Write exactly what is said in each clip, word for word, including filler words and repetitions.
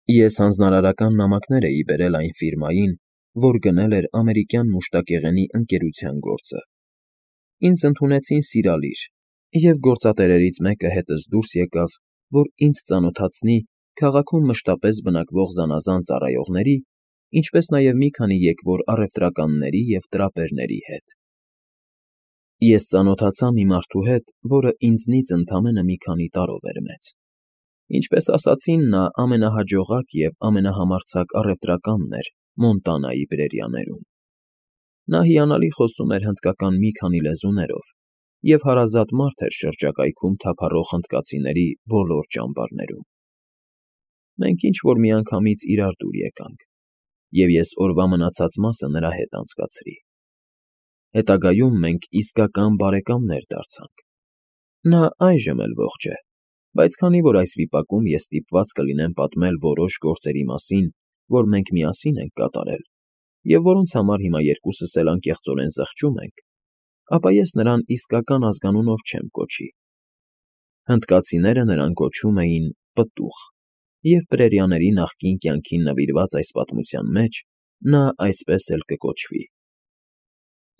Ես հանձնարարական նամակներ էի բերել այն ֆիրմային, որ գնել էր ամերիկյան մուշտակեղենի ընկերության գործը. ինձ ընդունեցին սիրալիր, և գործատերերից մեկը հետս դուրս եկավ, որ ինձ ծանոթացնի քաղաքում մշտապես բնակվող զանազան ծառայողների, ինչպես նաև մի քանի եկվոր առևտրականների և տրապերների հետ։ Ես ծանոթացա մի մարդու հետ, որը ինձնից ընդամենը մի քանի տարով էր մեծ։ Ինչպես ասացին, նա ամենահաջողակ և ամենահամարձակ առևտրականն էր Մոնտանայի պրերիաներում։ Նա հիանալի խոսում էր հնդկական մի քանի լեզուներով և հարազատ մարդ էր շրջակայքում թափառող հնդկացիների բոլոր ճամբարներում։ Մենք ինչ֊որ միանգամից իրար դուր եկանք, և ես օրվա մնացած մասը նրա հետ անցկացրի։ Հետագայում մենք իսկական բարեկամներ դարձանք։ Նա այժմ էլ ողջ է, բայց քանի որ այս վիպակում ես ստիպված կլինեմ պատմել որոշ գործերի մասին, որ մենք միասին ենք կատարել, և որոնց համար հիմա երկուսս էլ անկեղծորեն զղջում ենք, ապա ես նրան իսկական ազգանունով չեմ կոչի։ Հնդկացիները նրան կոչում էին պտուղ, և պրերիաների նախկին կյանքին նվիրված այս պատմության մեջ նա այսպես էլ կկոչվի։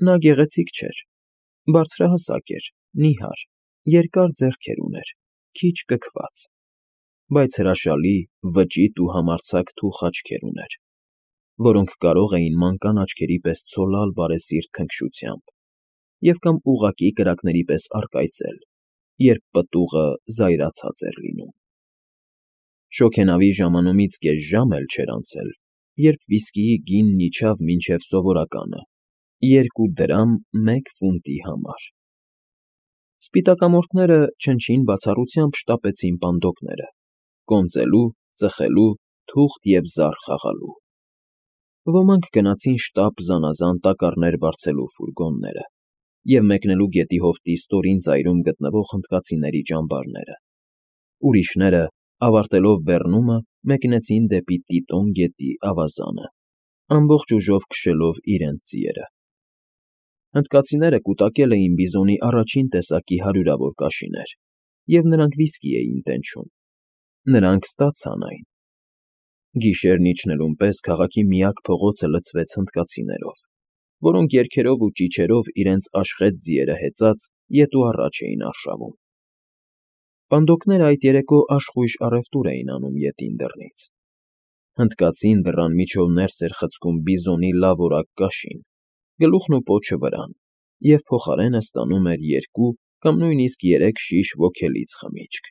Նա գեղեցիկ չէր, բարձրահասակ էր, նիհար, երկար ձեռքեր ուներ, քիչ կքված, բայց հրաշալի, վճիտ ու համարձակ թուխ աչքեր ուներ, որոնք կարող էին մանկան աչքերի պես ցոլալ բարեսիրտ քնքշությամբ և կամ ուղղակի կրակների պես առկայծել, երբ պտուղը զայրացած էր լինում։ Շոգենավի ժամանումից կես ժամ էլ չէր անցել, երբ վիսկիի գինն իջավ մինչև սովորականը՝ երկու դրամ մեկ ֆունտի համար։ Սպիտակամորթները չնչին բացառությամբ շտապեցին պանդոկները՝ կոնծելու, ծխելու, թուղթ և զառ խաղալու։ Ոմանք գնացին շտապ զանազան տակառներ բարձելու ֆուրգոնները և մեկնելու գետի հովտի ստորին ծայրում գտնվող հնդկացիների ճամբարները, ուրիշները, ավարտելով բեռնումը, մեկնեցին դեպի Տիտոն գետի ավազանը, ամբողջ ուժով քշելով իրենց ձիերը։ Հնդկացիները կուտակել էին բիզոնի առաջին տեսակի հարյուրավոր կաշիներ, և նրանք վիսկի էին տենչում։ Նրանք ստացան այն։ Գիշերն իջնելուն պես քաղաքի միակ փողոցը լցվեց հնդկացիներով, որոնք երգերով ու ճիչերով իրենց աշխետ ձիերը հեծած ետ ու առաջ էին արշավում։ Պանդոկները այդ երեկո աշխույժ առևտուր էին անում ետին դռնից։ Հնդկացին դռան միջով ներս էր խցկում բիզոնի լավ֊որակ կաշին, գլուխն ու պոչը վրան, և փոխարենը ստանում էր երկու կամ նույնիսկ երեք շիշ ոգելից խմիչք։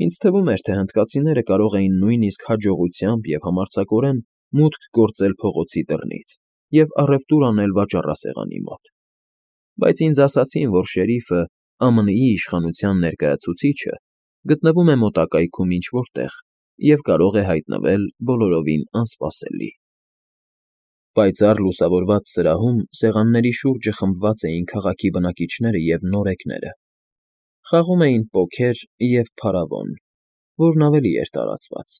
Ինձ թվում էր, թե հնդկացիները կարող էին նույնիսկ հաջողությամբ և համարձակորեն մուտք գործել փողոցի դռնից և առևտուր անել վաճառասեղանի մոտ, բայց ինձ ասացին, որ շերիֆը՝ Ամն Ի իշխանության ներկայացուցիչը, գտնվում է մոտակայքում ինչ֊որ տեղ և կարող է հայտնվել բոլորովին անսպասելի։ Պայծառ լուսավորված սրահում սեղանների շուրջը խմբված էին քաղաքի բնակիչները և նորեկները, խաղում էին պոքեր և փարավոն, որն ավելի էր տարածված։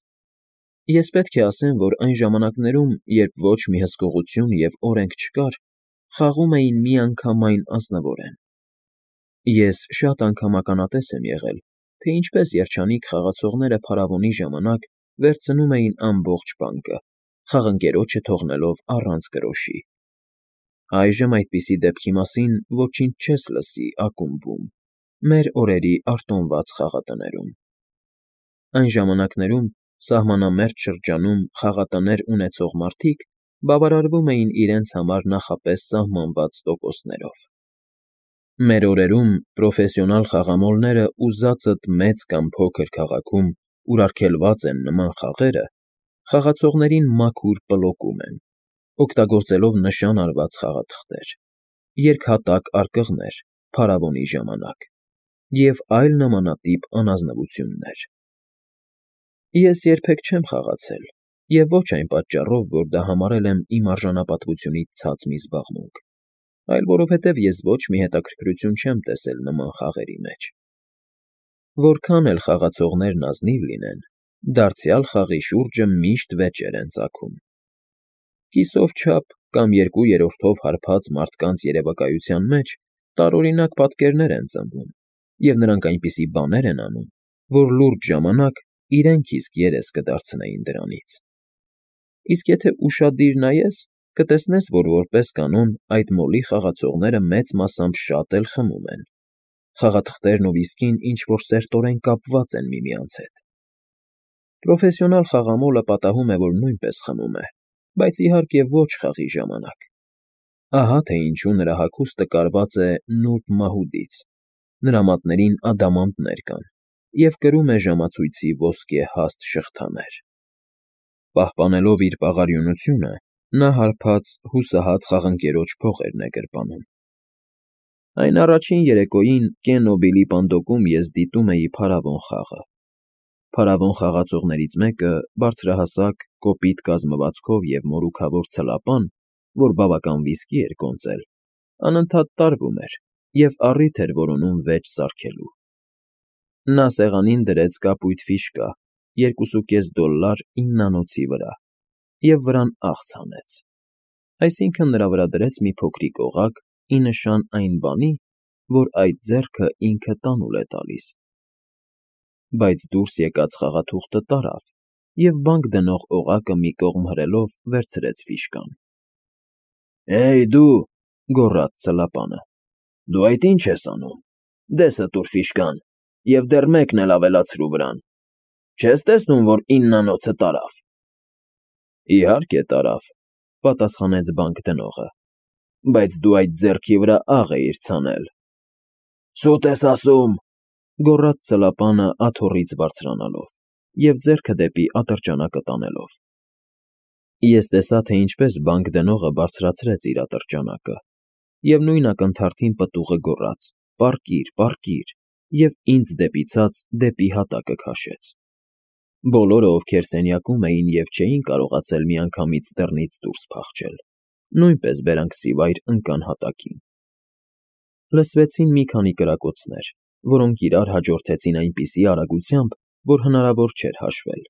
Ես պետք է ասեմ, որ այն ժամանակներում, երբ ոչ մի հսկողություն և օրենք չկար, խաղում էին միանգամայն ազնվորեն։ Ես շատ անգամ ականատես եմ եղել, թե ինչպես երջանիկ խաղացողները փարավոնի ժամանակ վերցնում էին ամբողջ բանկը, խաղընկերոջը թողնելով առանց գրոշի։ Այժմ այդպիսի դեպքի մասին ոչինչ չես լսի ակումբում, մեր օրերի արտոնված խաղատներում։ Այն ժամանակներում սահմանամերձ շրջանում խաղատներ ունեցող մարդիկ բավարարվում էին իրենց համար նախապես սահմանված տոկոսներով։ Մեր օրերում պրոֆեսիոնալ խաղամոլները ուզածդ մեծ կամ փոքր քաղաքում, ուր արգելված են նման խաղերը, խաղացողներին մաքուր պլոկում են, օգտագործելով նշան արված խաղաթղթեր, երկհատակ արկղներ փարավոնի ժամանակ և այլ նմանատիպ անազնվություններ։ Ես երբեք չեմ խաղացել, և ոչ այն պատճառով, որ դա համարել եմ իմ արժանապատվությունից ցած մի զբաղմունք, այլ որովհետև ես ոչ մի հետաքրքրություն չեմ տեսել նման խաղերի մեջ։ Որքան էլ խաղացողներն ազնիվ լինեն, դարձյալ խաղի շուրջը միշտ վեճեր են ծագում։ Կիսով չափ կամ երկու երրորդով հարբած մարդկանց երևակայության մեջ տարօրինակ պատկերներ են ծնվում, և նրանք այնպիսի բաներ են անում, որ լուրջ ժամանակ իրենք իսկ երես կդարձնեին դրանից։ Իսկ եթե ուշադիր նայես, կտեսնես, որ որպես կանոն այդ մոլի խաղացողները մեծ մասամբ շատ էլ խմում են։ Խաղաթղթերն ու վիսկին ինչ֊որ սերտորեն կապված են միմյանց հետ։ Պրոֆեսիոնալ խաղամոլը պատահում է, որ նույնպես խմում է, բայց իհարկե ոչ խաղի ժամանակ։ Ահա թե ինչու նրա հագուստը կարված է նուրբ մահուդից, նրա մատներին ադամանդներ կան, և կրում է ժամացույցի ոսկե հաստ շղթաներ։ Պահպանելով իր պաղարյունությունը, նա հարբած, հուսահատ խաղընկերոջ փողերն է գրպանում։ Այն առաջին երեկոյին Կենոբիլի պանդոկում ես դիտում էի փարավոն խաղը։ Փարավոն խաղացողներից մեկը, բարձրահասակ, կոպիտ կազմվածքով և մորուքավոր ցլապան, որ բավական վիսկի էր կոնծել, անընդհատ տարվում էր և առիթ էր որոնում վեճ սարքելու։ Նա սեղանին դրեց կապույտ ֆիշկա, երկուսուկես դոլլար իննանոցի վրա, և վրան աղց հանեց, այսինքն՝ նրա վրա դրեց մի փոքրիկ օղակ, ի նշան այն բանի, որ այդ ձեռքը ինքը տանուլ է տալիս։ Բայց դուրս եկած խաղաթուղթը տարավ, և բանկ դնող օղակը մի կողմ հրելով վերցրեց ֆիշկան։ ֊ Հեյ, դու,֊ գոռաց ցլապանը,֊ դու այդ ի՞նչ ես անում, դեսը տուր ֆիշկան և դեռ մեկն էլ ավելացրու վրան, չես տեսնում, որ իննանոցը տարավ։ ֊ Իհարկե տարավ,֊ պատասխանեց բանկ դնողը,֊ բայց դու այդ ձեռքի վրա աղ էիր ցանել։ ֊ Սուտ ես ասում,֊ գոռաց ցլապանը աթոռից բարձրանալով և ձեռքը դեպի ատրճանակը տանելով։ Ես տեսա, թե ինչպես բանկ դնողը բարձրացրեց իր ատրճանակը և նույն ակնթարթին պտուղը գոռաց. «Պառկիր, պառկիր» և ինձ դեպի ցած, դեպի հատակը քաշեց։ Բոլորը, ովքեր սենյակում էին և չէին կարողացել միանգամից դռնից դուրս փախչել, նույնպես բերանքսիվայր ընկան հատակին։ Լսվեցին մի քանի կրակոցներ, որոնք իրար հաջորդեցին այնպիսի արագությամբ, որ հնարավոր չէր հաշվել,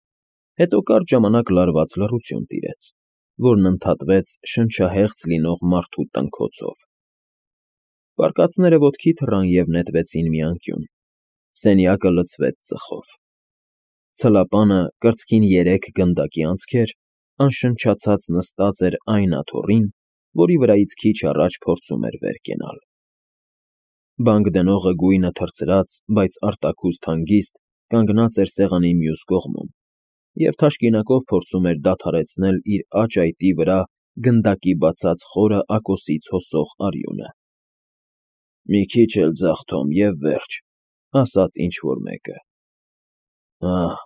հետո կարճ ժամանակ լարված լռություն տիրեց, որն ընդհատվեց շնչահեղձ լինող մարդու տնքոցով։ Պառկածները ոտքի թռան և նետվեցին մի անկյուն։ Սենյակը լցվեց ծխով։ Ցլապանը, կրծքին երեք գնդակի անցքեր, անշնչացած նստած էր այն աթոռին, որի վրայից քիչ առաջ փորձում էր վեր կենալ։ Բանկ դնողը գույնը թրծրած, բայց արտաքուստ հանգիստ, կանգնած էր սեղանի մյուս կողմում և թաշկինակով փորձում էր դադարեցնել իր աջ այտի վրա գնդակի բացած խորը ակոսից հոսող արյունը։ ֊ Մի քիչ էլ ձաղ, Թոմ, և վերջ,֊ ասաց ինչ֊որ մեկը։ ֊ Ահ,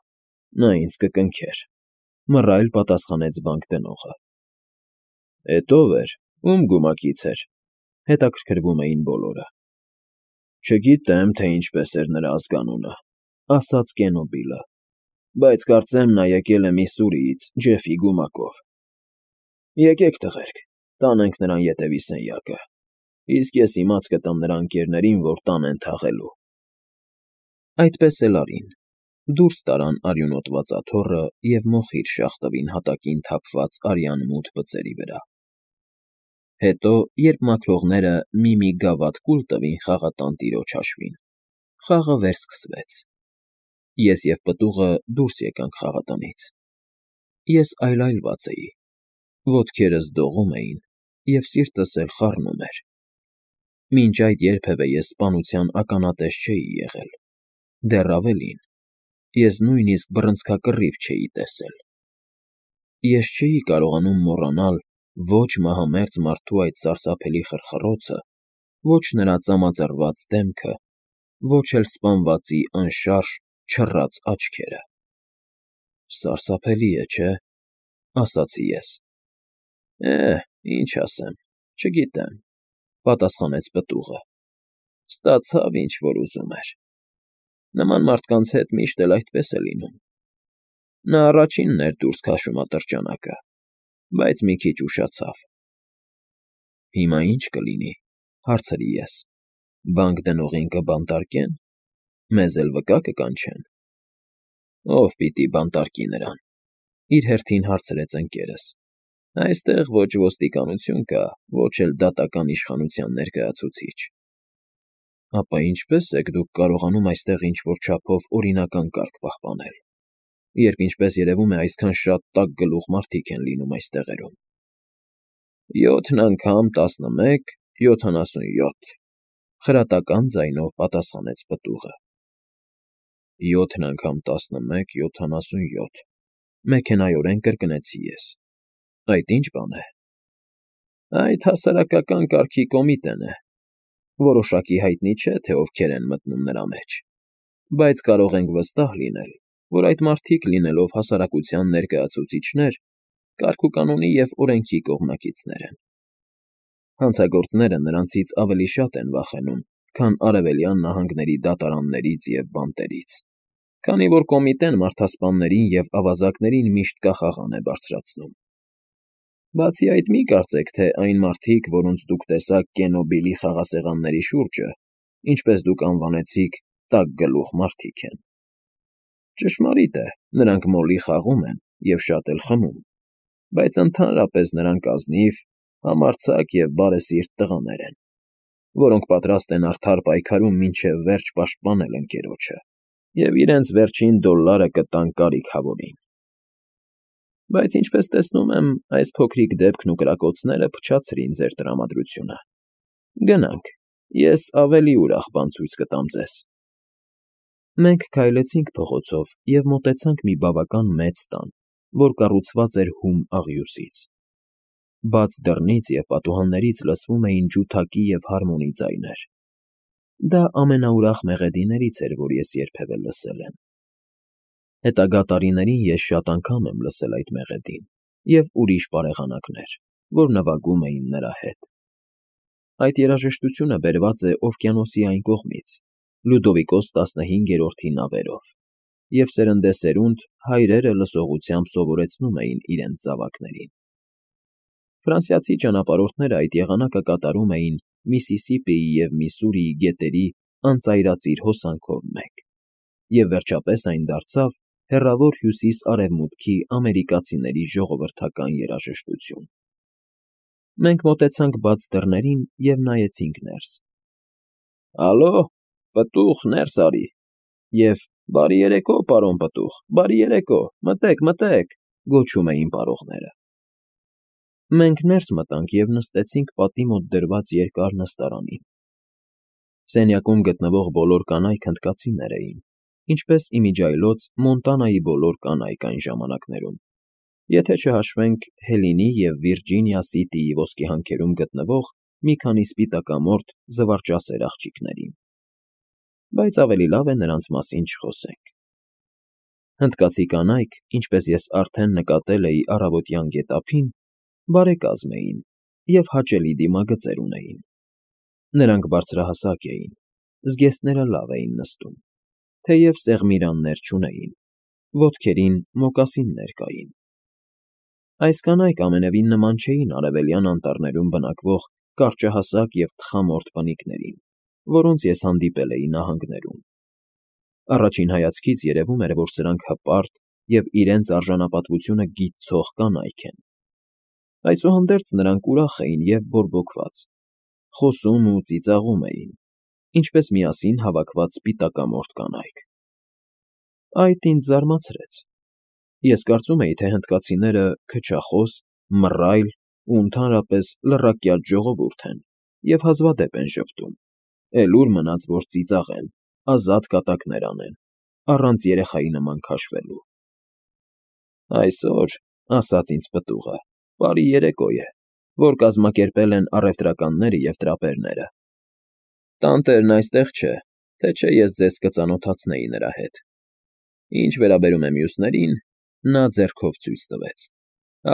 նա ինձ կկնքեր,֊ մռայլ պատասխանեց բանկ դնողը։ ֊ Էդ ո՞վ էր, ո՞ւմ գումակից էր,֊ հետաքրքրվում էին բոլորը։ ֊ Չգիտեմ, թե ինչպես էր նրա ազգանունը,֊ ասաց Կենոբիլը,֊ բայց կարծեմ նա եկել է Միսսուրիից Ջեֆի գումակով։ Եկեք, տղերք, տանենք նրան ետևի սենյակը, իսկ ես իմաց կտամ նրա ընկերներին, որ տան են թաղելու։ Այդպես էլ արին։ Դուրս տարան արյունոտված աթոռը և մոխիր շաղ տվին հատակին թափված արյան մութ բծերի վրա։ Հետո, երբ մաքրողները մի֊մի գավաթ կուլ տվին խաղատան տիրոջ հաշվին, խաղը վերսկսվեց։ Ես և պտուղը դուրս եկանք խաղատնից։ Ես այլայլված էի, ոտքերս դողում էին, և սիրտս էլ խառնում էր։ Մինչ այդ երբևէ ես սպանության ականատես չէի եղել, դեռ ավելին, ես նույնիսկ բռնցքակռիվ չէի տեսել։ Ես չէի կարողանում մոռանալ ոչ մահամերձ մարդու այդ սարսափելի խրխռոցը, ոչ նրա ծամածռված դեմքը, ոչ էլ սպանվածի անշարժ, չռած աչքերը։ «Սարսափելի է, չէ՞,֊ ասացի ես։ ֊ Է, ինչ ասեմ, չգիտեմ,֊ պատասխանեց պտուղը։ Ստացավ, ինչ որ ուզում էր։ Նման մարդկանց հետ միշտ էլ այդպես է լինում։ Նա առաջինն էր դուրս քաշում ատրճանակը, բայց մի քիչ ուշացավ։ ֊ Հիմա ի՞նչ կլինի,֊ հարցրի ես,֊ բանկ դնողին կբանտարկե՞ն, մեզ էլ վկա կկանչեն։ ֊ Ո՞վ պիտի բանտարկի նրան,֊ իր հերթին հարցրեց ընկերս։ ֊ Այստեղ ոչ ոստիկանություն կա, ոչ էլ դատական իշխանության ներկայացուցիչ։ ֊ Ապա ինչպե՞ս եք դուք կարողանում այստեղ ինչ֊որ չափով օրինական կարգ պահպանել։ երբ ինչպես երևում է այսքան շատ տաք գլուխ մարդիկ են լինում այս տեղերում։ Յոթն անգամ տասնմեկ, յոթանասունյոթ, խրատական ձայնով պատասխանեց պտուղը։ Յոթն անգամ տասնմեկ, յոթանասունյոթ, մեքենայորեն կրկնեցի ես։ Այդ ի՞նչ բան է։ Այդ հասարակական կարգի կոմիտեն է։ Որոշակի հայտնի չէ, թե ովքեր են մտնում նրա մեջ, բայց կարող ենք վստահ լինել, որ այդ մարդիկ, լինելով հասարակության ներկայացուցիչներ, կարգուկանոնի և օրենքի կողմնակիցներ են։ Հանցագործները նրանցից ավելի շատ են վախենում, քան Արևելյան նահանգների դատարաններից և բանտերից, քանի որ կոմիտեն մարդասպաններին և ավազակներին միշտ կախաղան է բարձրացնում։ Բացի այդ, մի կարծեք, թե այն մարդիկ, որոնց դուք տեսաք Կենոբիլի խաղասեղանների շուրջը, ինչպես դուք անվանեցիք, տաք գլուխ մարդիկ են։ Ճշմարիտ է, նրանք մոլի խաղում են և շատ էլ խմում, բայց ընդհանրապես նրանք ազնիվ, համարձակ և բարեսիրտ տղաներ են, որոնք պատրաստ են արդար պայքարում մինչև վերջ պաշտպանել ընկերոջը և իրենց վերջին դոլլարը կտան կարիք֊հավորին։ Բայց ինչպես տեսնում եմ, այս փոքրիկ դեպքն ու կրակոցները փչացրին ձեր տրամադրությունը։ Գնանք, ես ավելի ուրախ բան ցույց կտամ ձեզ։ Մենք քայլեցինք փողոցով և մոտեցանք մի բավական մեծ տան, որ կառուցված էր հում աղյուսից։ Բաց դռնից և պատուհաններից լսվում էին ջութակի և հարմոնի ձայներ։ Դա ամենաուրախ մեղեդիներից էր, որ ես երբևէ լսել եմ։ Հետագա տարիներին ես շատ անգամ եմ լսել այդ մեղեդին և ուրիշ բարեղանակներ, որ նվագում էին նրա հետ։ Այդ երաժշտությունը բերված է օվկիանոսի այն կողմից, Լյուդովիկոս տասնհինգերորդի նավերով, և սերնդեսերունդ հայրերը լսողությամբ սովորեցնում էին իրենց զավակներին։ Ֆրանսիացի ճանապարհորդները այդ եղանակը կատարում էին Միսիսիպիի և Միսսուրիի գետերի անծայրածիր հոսանքով մեկ, և վերջապես այն դարձավ Հեռավոր Հյուսիս֊Արևմուտքի ամերիկացիների ժողովրդական երաժշտություն։ Մենք մոտեցանք բաց դռներին և նայեցինք ներս։ Ալո, պտուղ, ներս արի, և բարի երեկո, պարոն պտուղ, բարի երեկո, մտե՛ք, մտե՛ք, գոչում էին պարողները։ Մենք ներս մտանք և նստեցինք պատի մոտ դրված երկար նստարանին։ Սենյակում գտնվող բոլոր կանայք հնդկացիներ էին, ինչպես իմիջիայլոց Մոնտանայի բոլոր կանայք այն ժամանակներում, եթե չհաշվենք Հելինի և Վիրջինիա Սիթիի ոսկեհանքերում գտնվող մի քանի սպիտակամորթ զվարճասեր աղջիկներին։ Բայց ավելի լավ է նրանց մասին չխոսենք։ Հնդկացի կանայք, ինչպես ես արդեն նկատել էի առավոտյան գետափին, բարեկազմ էին և հաճելի դիմագծեր ունեին։ Նրանք բարձրահասակ էին, զգեստները լավ էին նստում, թեև սեղմիրաններ չունեին, ոտքերին մոկասիններ կային։ Այս կանայք ամենևին նման չէին արևելյան անտառներում բնակվող կարճահասակ և թխամորթ բնիկներին, որոնց ես հանդիպել էի նահանգներում։ Առաջին հայացքից երևում էր, որ սրանք հպարտ և իրենց արժանապատվությունը գիտցող կանայք են։ Այսուհանդերձ նրանք ուրախ էին և բորբոքված, խոսում ու ծիծաղում էին, ինչպես միասին հավաքված սպիտակամորթ կանայք։ Այդ ինձ զարմացրեց։ Ես կարծում էի, թե հնդկացիները քչախոս, մռայլ ու ընդհանրապես լռակյաց ժողովուրդ են և հազվադեպ են ժպտում, էլ ուր մնաց, որ ծիծաղեն, ազատ կատակներ անեն, առանց երեխայի նման քաշվելու։ Այսօր, ասաց ինձ պտուղը, բարի երեկո է, որ կազմակերպել են առևտրականները և տրապերները։ Տանտերն այստեղ չէ, թե չէ ես ձեզ կծանոթացնեի նրա հետ։ Ինչ վերաբերում է մյուսներին, նա ձեռքով ցույց տվեց,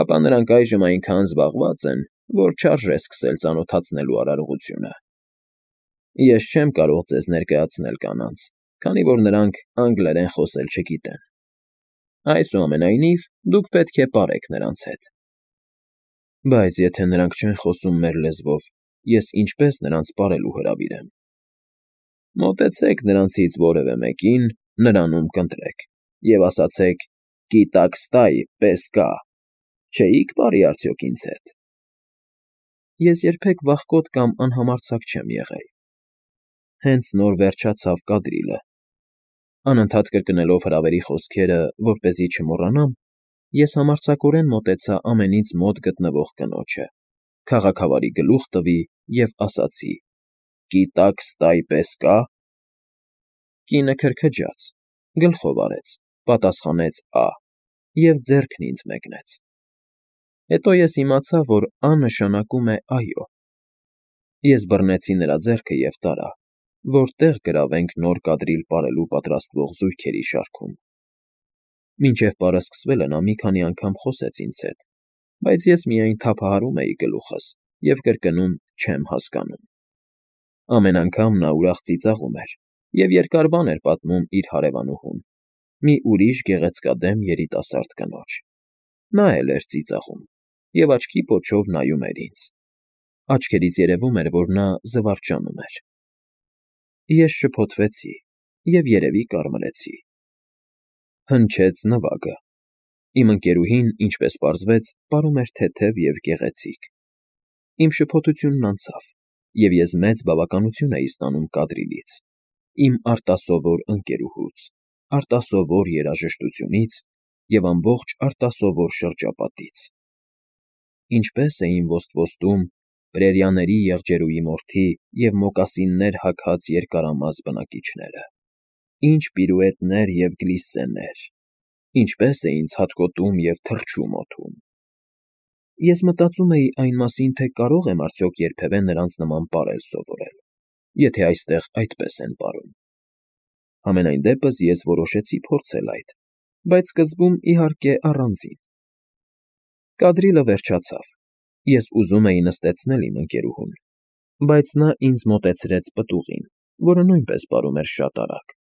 ապա նրանք այժմ այնքան զբաղված են, որ չարժե սկսել ծանոթացնելու արարողությունը։ Ես չեմ կարող ձեզ ներկայացնել կանանց, քանի որ նրանք անգլերեն խոսել չգիտեն։ Այսուամենայնիվ, դուք պետք է պարեք նրանց հետ։ Բայց եթե նրանք չեն խոսում մեր լեզվով, ես ինչպե՞ս նրանց պարելու հրավիրեմ։ Մոտեցեք նրանցից որևէ մեկին, նրանում կընտրեք և ասացեք. «Կիտակ ստայ, պես կա», չէի՞ք պարի արդյոք ինձ հետ։ Ես երբեք վախկոտ կամ անհամարձակ չեմ եղել։ Հենց նոր վերջացավ կադրիլը։ Անընդհատ կրկնելով հրավերի խոսքերը, որպեսզի չմոռանամ, ես համարձակորեն մոտեցա ամենից մոտ գտնվող կնոջը, քաղաքավարի գլուխ տվի և ասացի. «Գիտակ ստայ պես կա՞»։ Կինը քրքջաց, գլխով արեց, պատասխանեց «Ա» և ձեռքն ինձ մեկնեց։ Հետո ես իմացա, որ «Ա» նշանակում է «այո»։ Ես բռնեցի նրա ձեռքը և տարա, որ տեղ գրավենք նոր կադրիլ պարելու պատրաստվող զույգերի շարքում։ Մինչև պարը սկսվելը նա մի քանի անգամ խոսեց ինձ հետ, բայց ես միայն թափահարում էի գլուխս և կրկնում «չեմ հասկանում»։ Ամեն անգամ նա ուրախ ծիծաղում էր և երկար բան էր պատմում իր հարևանուհուն, մի ուրիշ գեղեցկադեմ երիտասարդ կնոջ։ Նա էլ էր ծիծաղում և աչքի պոչով նայում էր ինձ։ Աչքերից երևում էր, որ նա զվարճանում էր։ Ես շփոթվեցի և, երևի, կարմրեցի։ Հնչեց նվագը։ Իմ ընկերուհին, ինչպես պարզվեց, պարում էր թեթև և գեղեցիկ։ Իմ շփոթությունն անցավ, և ես մեծ բավականություն էի ստանում կադրիլից, իմ արտասովոր ընկերուհուց, արտասովոր երաժշտությունից և ամբողջ արտասովոր շրջապատից։ Ինչպե՜ս էին ոստվոստում Պրերիաների եղջերուի մորթի և մոկասիններ հագած երկարամաս բնակիչները, ինչ պիրուետներ և գլիսսեներ, ինչպես էին ցատկոտում և թռչում օդում։ Ես մտածում էի այն մասին, թե կարո՞ղ եմ արդյոք երբևէ նրանց նման պարել սովորել, եթե այստեղ այդպես են պարում։ Համենայն դեպս ես որոշեցի փորձել այդ, բայց սկզբում, իհարկե, առանձին։ Կադրիլը վերջացավ, ես ուզում էի նստեցնել իմ ընկերուհուն, բայց նա ինձ մոտեցրեց պտուղին, որը նույնպես պարում էր շատ արագ,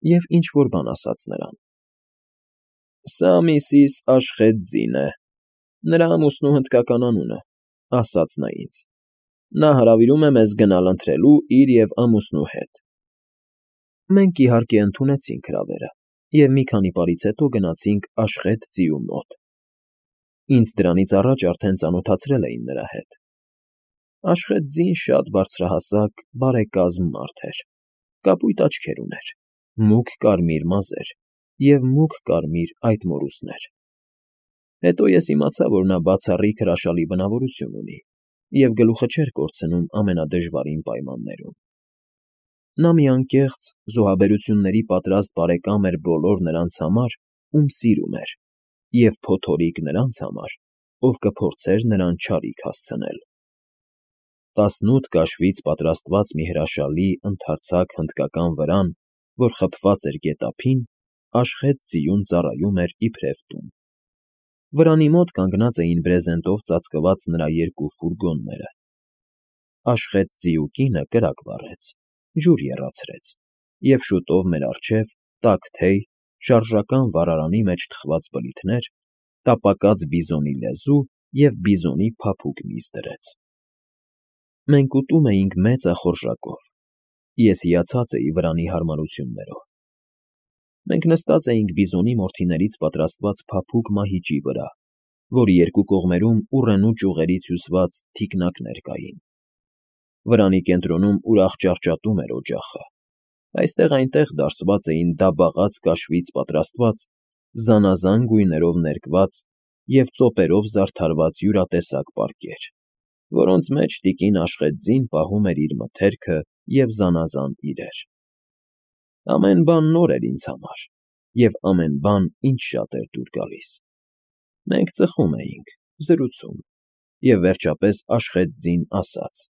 և ինչ֊որ բան ասաց նրան։ «Սա միսիս Աշղեթ֊Ձին է, նրա ամուսնու հնդկական անունը», ֊ ասաց նա ինձ։ «Նա հրավիրում է մեզ գնալ ընթրելու իր և ամուսնու հետ»։ Մենք, իհարկե, ընդունեցինք հրավերը և մի քանի պարից հետո գնացինք Աշղեթ֊Ձիու մոտ։ Ինձ դրանից առաջ արդեն ծանոթացրել էին նրա հետ։ Աշղեթ֊Ձին շատ բարձրահասակ, բարեկազմ մարդ էր, կապույտ աչքեր ուներ, մուգ կարմիր մազեր և մուգ կարմիր այտմորուսներ։ Հետո ես իմացա, որ նա բացառիկ հրաշալի բնավորություն ունի և գլուխը չէր կորցնում ամենադժվարին պայմաններում։ Նա մի անկեղծ, զոհաբերությունների պատրաստ բարեկամ էր բոլոր նրանց համար, ում սիրում էր, և փոթորիկ նրանց համար, ով կփորձեր նրան չարիք հասցնել։ Տասնութ կաշվից պատրաստված մի հրաշալի, ընդարձակ հնդկական վրան, որ խփված էր գետափին, Աշղեթ֊Ձիուն ծառայում էր իբրև տուն։ Վրանի մոտ կանգնած էին բրեզենտով ծածկված նրա երկու ֆուրգոնները։ Աշղեթ֊Ձիու կինը կրակ վառեց, ջուր եռացրեց, և շուտով մեր առջև, տաք թեյ, շարժական վառարանի մեջ թխված բլիթներ, տապակած բիզոնի լեզու և բիզոնի փափուկ միս դրեց։ Մենք ուտում էինք մեծախորժակով, ես հիացած էի վրանի հարմարություններով։ Մենք նստած էինք բիզոնի մորթիներից պատրաստված փափուկ մահիճի վրա, որի երկու կողմերում ուռենու ճյուղերից հյուսված թիկնակներ կային։ Վրանի կենտրոնում ուրախ ճառճատում էր օջախը, այստեղ֊այնտեղ դարսված էին դաբաղած կաշվից պատրաստված, զանազան գույներով ներկված և ծոպերով զարդարված յուրատեսակ պարկեր, որոնց մեջ տիկին Աշղեթ֊Ձին պահում էր իր մթերքը և զանազան իրեր։ Ամեն բան նոր էր ինձ համար, և ամեն բան ինձ շատ էր դուր գալիս։ Մենք ծխում էինք, զրուցում, և վերջապես Աշղեթ֊Ձին ասաց.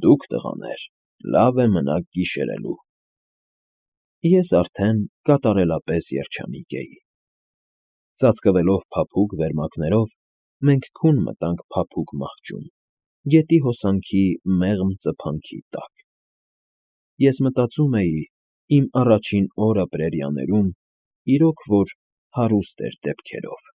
«Դուք, տղաներ, լավ է մնաք գիշերելու»։ Ես արդեն կատարելապես երջանիկ էի։ Ծածկվելով փափուկ վերմակներով, մենք քուն մտանք փափուկ մահճում, գետի հոսանքի մեղմ ծփանքի տակ։ Ես մտածում էի. իմ առաջին օրը Պրերիաներում իրոք որ հարուստ էր դեպքերով։